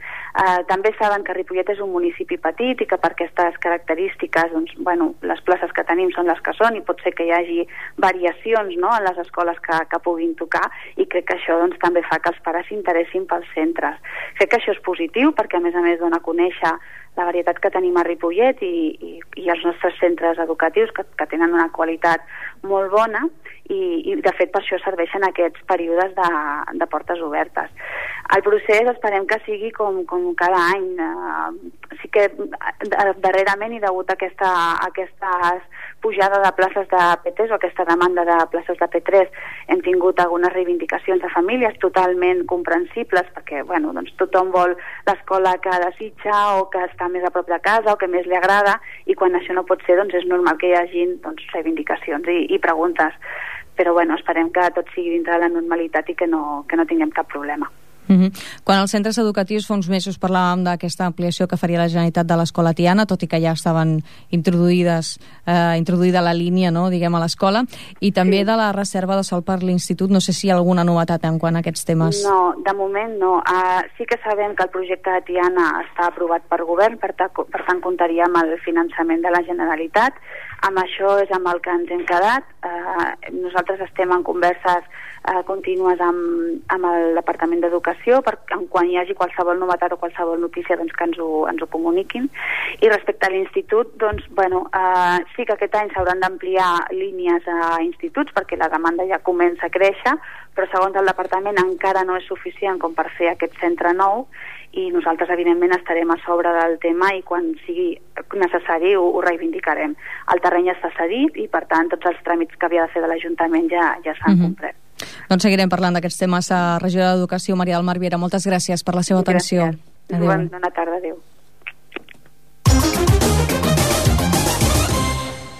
També saben que Ripollet és un municipi petit i que per aquestes característiques les places que tenim són les que són i pot ser que hi hagi variacions en les escoles que puguin tocar, i crec que això també fa que els pares s'interessin pels centres. Crec que això és positiu perquè a més dona a conèixer la varietat que tenim a Ripollet i els nostres centres educatius que tenen una qualitat molt bona i de fet per això serveixen aquests períodes de portes obertes. El procés esperem que sigui com cada any. Sí que darrerament i degut a aquesta pujada de places de P3 o aquesta demanda de places de P3 hem tingut algunes reivindicacions de famílies totalment comprensibles perquè tothom vol l'escola que desitja o que està més a prop de casa o que més li agrada, i quan això no pot ser és normal que hi hagin reivindicacions i preguntes, però esperem que tot sigui dintre de la normalitat i que no tinguem cap problema. Quan als centres educatius fa uns mesos parlàvem d'aquesta ampliació que faria la Generalitat de l'Escola Tiana, tot i que ja estaven introduïda la línia, diguem, a l'escola, i també de la reserva de sòl per l'Institut. No sé si hi ha alguna novetat en quant a aquests temes. No, de moment no. Sí que sabem que el projecte de Tiana està aprovat per govern, per tant comptaria amb el finançament de la Generalitat. Amb això és amb el que ens hem quedat. Nosaltres estem en converses contínues amb el Departament d'Educació quan hi hagi qualsevol novetat o qualsevol notícia que ens ho comuniquin. I respecte a l'Institut, sí que aquest any s'hauran d'ampliar línies a instituts perquè la demanda ja comença a créixer, però segons el Departament encara no és suficient com per fer aquest centre nou, i nosaltres evidentment estarem a sobre del tema i quan sigui necessari ho reivindicarem. El terreny està cedit i per tant tots els tràmits que havia de fer de l'Ajuntament ja s'han complert. Doncs seguirem parlant d'aquests temes a Regidora d'Educació, Maria del Mar Viera. Moltes gràcies per la seva atenció. Bona tarda, adéu.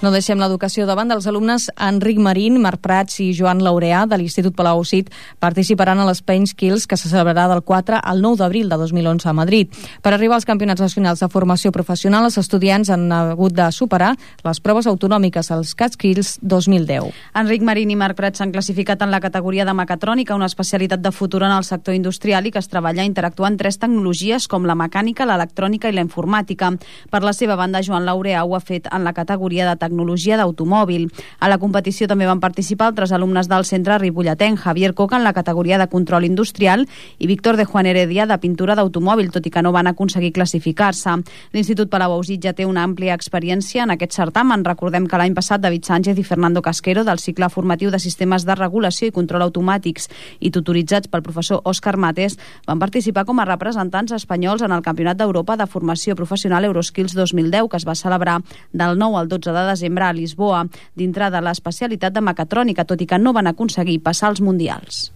No deixem l'educació davant dels alumnes. Enric Marín, Marc Prats i Joan Laureà de l'Institut Palau-Cid participaran a l'Spain Skills, que se celebrarà del 4 al 9 d'abril de 2011 a Madrid. Per arribar als campionats nacionals de formació professional, els estudiants han hagut de superar les proves autonòmiques, els CatSkills 2010. Enric Marín i Marc Prats s'han classificat en la categoria de mecatrònica, una especialitat de futur en el sector industrial i que es treballa interactuant 3 tecnologies com la mecànica, l'electrònica i la informàtica. Per la seva banda, Joan Laureà ho ha fet en la categoria de tecnologia d'automòbil. A la competició també van participar altres alumnes del centre ripolletenc, Javier Coca en la categoria de control industrial i Víctor de Juan Heredia de pintura d'automòbil, tot i que no van aconseguir classificar-se. L'Institut Palau-Cid ja té una àmplia experiència en aquest certamen. Recordem que l'any passat David Sánchez i Fernando Casquero del cicle formatiu de sistemes de regulació i control automàtics i tutoritzats pel professor Òscar Mates van participar com a representants espanyols en el Campionat d'Europa de Formació Professional Euroskills 2010, que es va celebrar del 9 al 12 de desembre a Lisboa, dintre de l'especialitat de mecatrònica, tot i que no van aconseguir passar als mundials.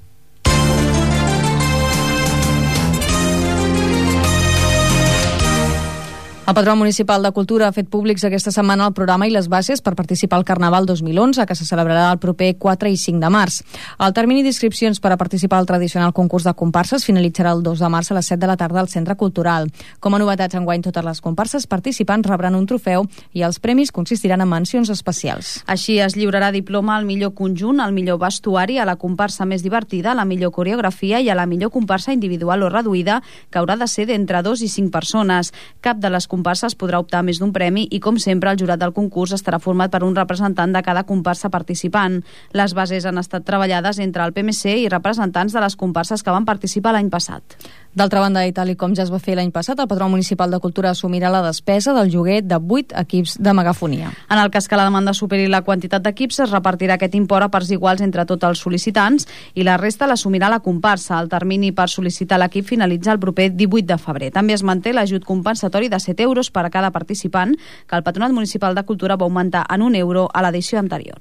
El Patronat Municipal de Cultura ha fet públics aquesta setmana el programa i les bases per participar al Carnaval 2011, que se celebrarà el proper 4 i 5 de març. El termini d'inscripcions per a participar al tradicional concurs de comparses finalitzarà el 2 de març a les 7 de la tarda al Centre Cultural. Com a novetats, enguany totes les comparses participants rebran un trofeu i els premis consistiran en mencions especials. Així es lliurarà diploma al millor conjunt, al millor vestuari, a la comparsa més divertida, a la millor coreografia i a la millor comparsa individual o reduïda, que haurà de ser d'entre 2 i 5 persones. Cap de les comparses podrà optar a més d'un premi i, com sempre, el jurat del concurs estarà format per un representant de cada comparsa participant. Les bases han estat treballades entre el PMC i representants de les comparses que van participar l'any passat. D'altra banda, i tal com ja es va fer l'any passat, el Patronat Municipal de Cultura assumirà la despesa del lloguer de 8 equips de megafonia. En el cas que la demanda superi la quantitat d'equips, es repartirà aquest import a parts iguals entre tots els sol·licitants i la resta l'assumirà la comparsa. El termini per sol·licitar l'equip finalitza el proper 18 de febrer. També es manté l'ajut compensatori de 7 euros per a cada participant, que el Patronat Municipal de Cultura va augmentar en 1 euro a l'edició anterior.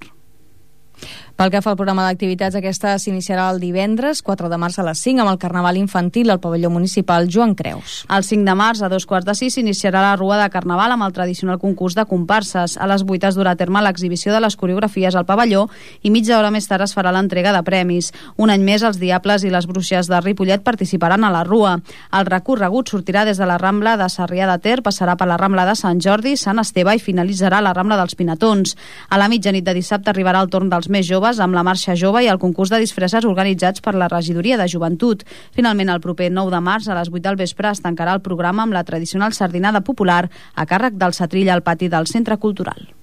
Pel que fa al programa d'activitats, aquesta s'iniciarà el divendres 4 de març a les 5 amb el Carnaval Infantil al pavelló municipal Joan Creus. El 5 de març a 2:45 s'iniciarà la Rua de Carnaval amb el tradicional concurs de comparses. A les 8 es durà a terme l'exhibició de les coreografies al pavelló i mitja hora més tard es farà l'entrega de premis. Un any més, els Diables i les Bruixes de Ripollet participaran a la Rua. El recorregut sortirà des de la Rambla de Sarrià de Ter, passarà per la Rambla de Sant Jordi, Sant Esteve i finalitzarà a la Rambla dels Pinatons. A la mitjanit de dissabte arribarà el torn dels més joves amb la marxa jove i el concurs de disfresses organitzats per la Regidoria de Joventut. Finalment, el proper 9 de març, a les 8 del vespre, es tancarà el programa amb la tradicional sardinada popular a càrrec del Setrill al pati del Centre Cultural.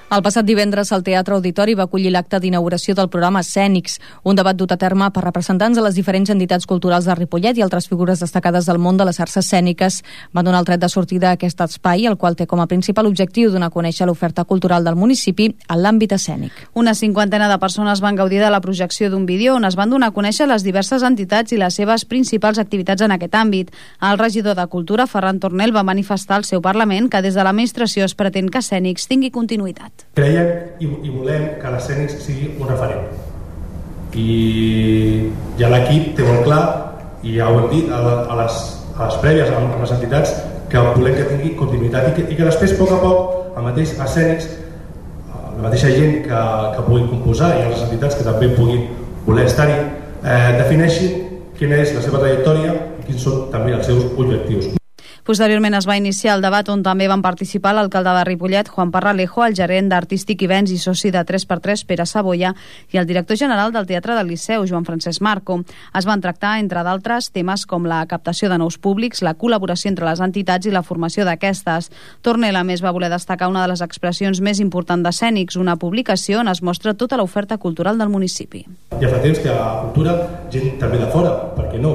El passat divendres el Teatre Auditori va acollir l'acte d'inauguració del programa Escènics, un debat dut a terme per representants de les diferents entitats culturals de Ripollet i altres figures destacades del món de les arts escèniques. Van donar el tret de sortida a aquest espai, el qual té com a principal objectiu donar a conèixer l'oferta cultural del municipi en l'àmbit escènic. Una cinquantena de persones van gaudir de la projecció d'un vídeo on es van donar a conèixer les diverses entitats i les seves principals activitats en aquest àmbit. El regidor de Cultura, Ferran Tornel, va manifestar al seu Parlament que des de l'administració es pretén que Escènics tingui continuïtat. Creiem i volem que l'Escènics sigui un referent i ja l'equip té molt clar i ja ho hem dit a les prèvies amb les entitats que volem que tingui continuïtat i que després a poc el mateix Escènics, la mateixa gent que pugui composar i les entitats que també puguin voler estar-hi defineixin quina és la seva trajectòria i quins són també els seus objectius. Posteriorment es va iniciar el debat on també van participar l'alcalde de Ripollet, Juan Parralejo, el gerent d'Artístic i Vents i soci de 3x3, Pere Saboia, i el director general del Teatre del Liceu, Joan Francesc Marco. Es van tractar, entre d'altres, temes com la captació de nous públics, la col·laboració entre les entitats i la formació d'aquestes. Tornel, a més, va voler destacar una de les expressions més importants d'Escènics, una publicació on es mostra tota l'oferta cultural del municipi. Ja fa temps que a la cultura, gent també de fora, per què no?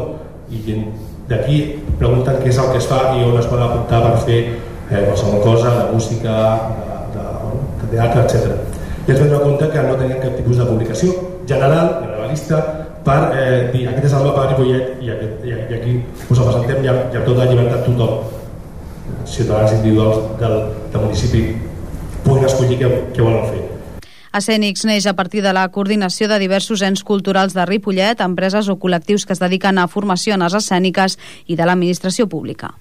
I gent d'aquí pregunten què és el que es fa i on es poden apuntar per fer qualsevol cosa, de música, de teatre, etc. I ens vam donar compte que no tenien cap tipus de publicació generalista per dir aquest és el mapa de Ripollet i aquí us el presentem i amb tota la llibertat tothom, ciutadans individuals del municipi, puguin escollir què volen fer. Escènics neix a partir de la coordinació de diversos ens culturals de Ripollet, empreses o col·lectius que es dediquen a formació en arts escèniques i de l'administració pública.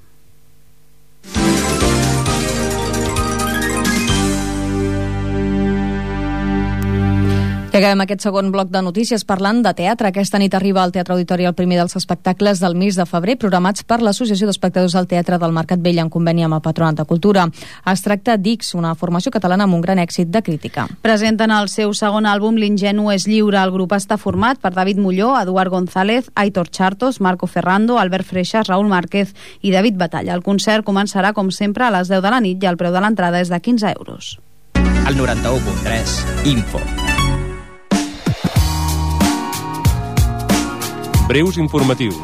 I acabem aquest segon bloc de notícies parlant de teatre. Aquesta nit arriba al Teatre Auditori el primer dels espectacles del mes de febrer programats per l'Associació d'Espectadors del Teatre del Mercat Vell en conveni amb el Patronat de Cultura. Es tracta d'X, una formació catalana amb un gran èxit de crítica. Presenten el seu segon àlbum L'ingenu és lliure. El grup està format per David Molló, Eduard González, Aitor Chartos, Marco Ferrando, Albert Freixas, Raúl Márquez i David Batalla. El concert començarà, com sempre, a les 10 de la nit i el preu de l'entrada és de 15 euros. Al 91.3, Info. Breus informatius.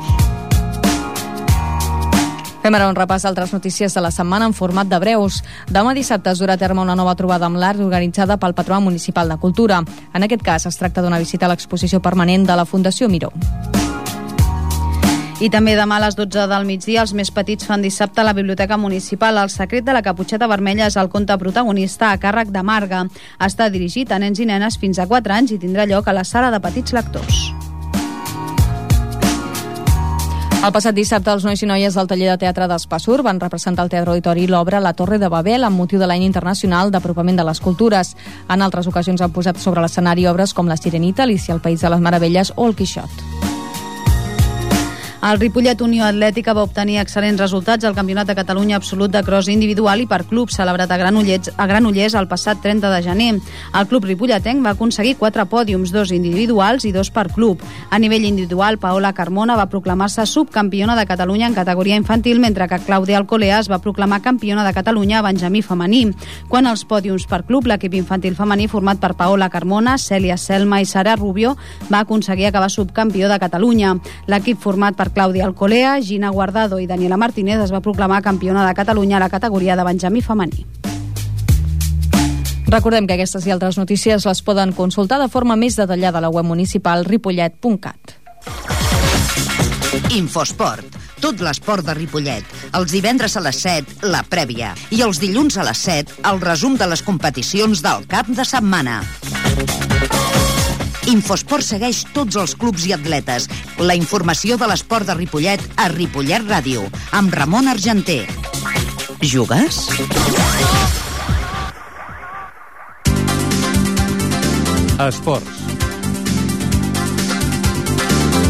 Fem ara un repàs d'altres notícies de la setmana en format de breus. Demà dissabte es durà a terme una nova trobada amb l'art organitzada pel Patronat Municipal de Cultura. En aquest cas es tracta d'una visita a l'exposició permanent de la Fundació Miró. I també demà a les 12 del migdia els més petits fan dissabte a la Biblioteca Municipal. El secret de la caputxeta vermella és el conte protagonista a càrrec de Marga. Està dirigit a nens i nenes fins a 4 anys i tindrà lloc a la sala de petits lectors. El passat dissabte, els nois i noies del taller de teatre d'Espassur van representar al Teatre Auditori l'obra La Torre de Babel amb motiu de l'any internacional d'apropament de les cultures. En altres ocasions han posat sobre l'escenari obres com La Sirenita, Alicia al País de les Meravelles o El Quixot. El Ripollet Unió Atlètica va obtenir excel·lents resultats al Campionat de Catalunya absolut de cross individual i per club, celebrat a Granollers el passat 30 de gener. El club ripolletenc va aconseguir 4 pòdiums, 2 individuals i 2 per club. A nivell individual, Paola Carmona va proclamar-se subcampiona de Catalunya en categoria infantil, mentre que Clàudia Alcolea es va proclamar campiona de Catalunya a benjamí femení. Quant als pòdiums per club, l'equip infantil femení format per Paola Carmona, Cèlia Selma i Sara Rubio va aconseguir acabar subcampió de Catalunya. L'equip format per Clàudia Alcolea, Gina Guardado i Daniela Martínez es va proclamar campiona de Catalunya a la categoria de benjamí femení. Recordem que aquestes i altres notícies les poden consultar de forma més detallada a la web municipal ripollet.cat. Infosport. Tot l'esport de Ripollet. Els divendres a les 7, la prèvia. I els dilluns a les 7, el resum de les competicions del cap de setmana. Infosport segueix tots els clubs i atletes. La informació de l'esport de Ripollet a Ripollet Ràdio, amb Ramon Argenter. Jugues? Esports.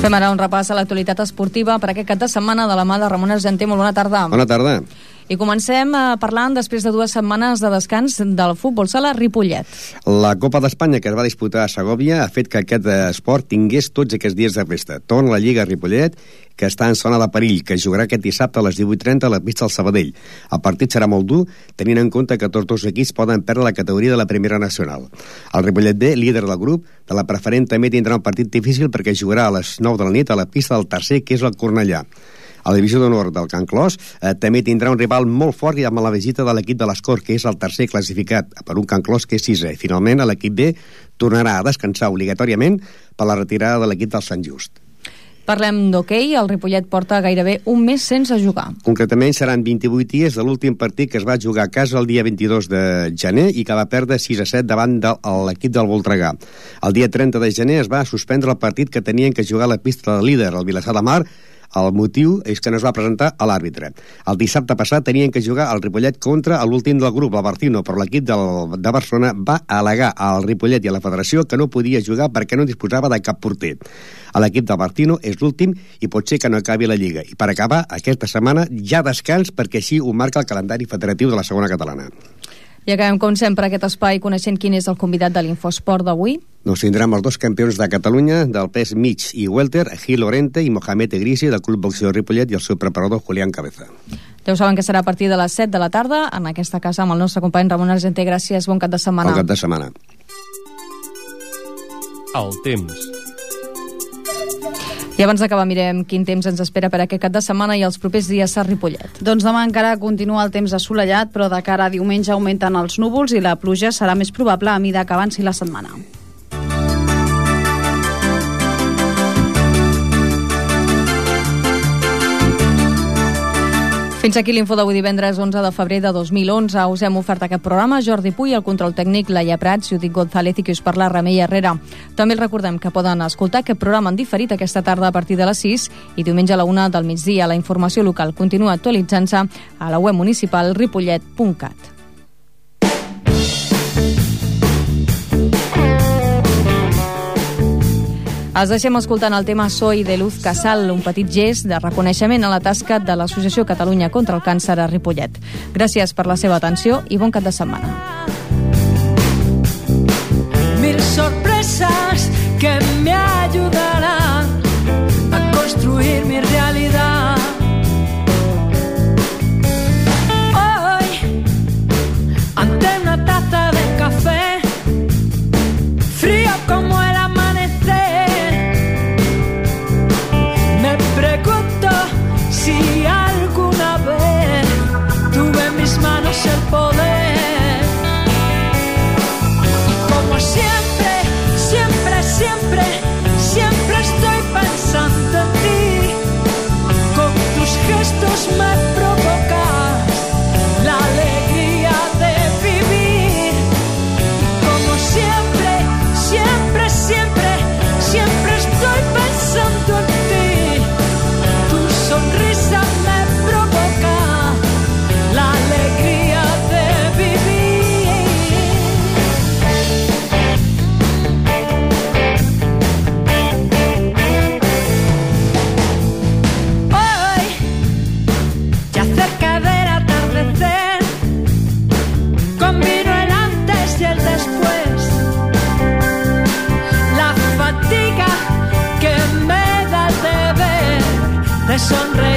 Fem ara un repàs a l'actualitat esportiva per aquest cap de setmana de la mà de Ramon Argenter. Molt bona tarda. Bona tarda. I comencem parlant després de 2 setmanes de descans del futbol sala Ripollet. La Copa d'Espanya que es va disputar a Segòvia ha fet que aquest esport tingués tots aquests dies de festa. Torna la Lliga Ripollet, que està en zona de perill, que jugarà aquest dissabte a les 18:30 a la pista del Sabadell. El partit serà molt dur, tenint en compte que tots dos equips poden perdre la categoria de la Primera Nacional. El Ripollet B, líder del grup, de la preferent també tindrà un partit difícil perquè jugarà a les 9 de la nit a la pista del tercer, que és el Cornellà. A la divisió d'honor del Can Clos també tindrà un rival molt fort i amb la visita de l'equip de l'Escor, que és el tercer classificat, per un Can Clos que és 6è. Finalment, l'equip B tornarà a descansar obligatòriament per la retirada de l'equip del Sant Just. Parlem d'hoquei. El Ripollet porta gairebé un mes sense jugar. Concretament seran 28 dies de l'últim partit que es va jugar a casa el dia 22 de gener i que va perdre 6-7 davant de l'equip del Voltregà. El dia 30 de gener es va suspendre el partit que tenien que jugar a la pista del líder, el Vilassar de Mar. El motiu és que no es va presentar a l'àrbitre. El dissabte passat tenien que jugar el Ripollet contra l'últim del grup, el Barcino, però l'equip de Barcelona va al·legar al Ripollet i a la federació que no podia jugar perquè no disposava de cap porter. L'equip del Barcino és l'últim i pot ser que no acabi la Lliga. I per acabar, aquesta setmana ja descans perquè així ho marca el calendari federatiu de la segona catalana. I acabem, com sempre, aquest espai coneixent quin és el convidat de l'Infosport d'avui. Doncs tindrem els 2 campions de Catalunya del pes mig i welter, Gil Lorente i Mohamed Egrisi, del Club Boxeo Ripollet, i el seu preparador, Julián Cabeza. Ja ho saben que serà a partir de les 7 de la tarda, en aquesta casa amb el nostre company Ramon Argenter. Gràcies, bon cap de setmana. Bon cap de setmana. El temps. I abans d'acabar mirem quin temps ens espera per aquest cap de setmana i els propers dies a Ripollet. Doncs demà encara continua el temps assolellat, però de cara a diumenge augmenten els núvols i la pluja serà més probable a mida que avanci la setmana. Fins aquí l'info d'avui divendres 11 de febrer de 2011. Us hem ofert aquest programa Jordi Puy, el control tècnic, Laia Prats, Judit González i qui us parla, Remei Herrera. També els recordem que poden escoltar aquest programa en diferit aquesta tarda a partir de les 6 i diumenge a la 1 del migdia. La informació local continua actualitzant-se a la web municipal ripollet.cat. Els deixem escoltant el tema Soy de Luz Casal, un petit gest de reconeixement a la tasca de l'Associació Catalunya contra el Càncer a Ripollet. Gràcies per la seva atenció i bon cap de setmana. Mil sorpresas que me ayudarán a construir mi realidad. Hoy, ante una taza de café, frío como el pregunto si alguna vez tuve en mis manos el poder. Y como siempre, siempre, siempre, siempre sonreír.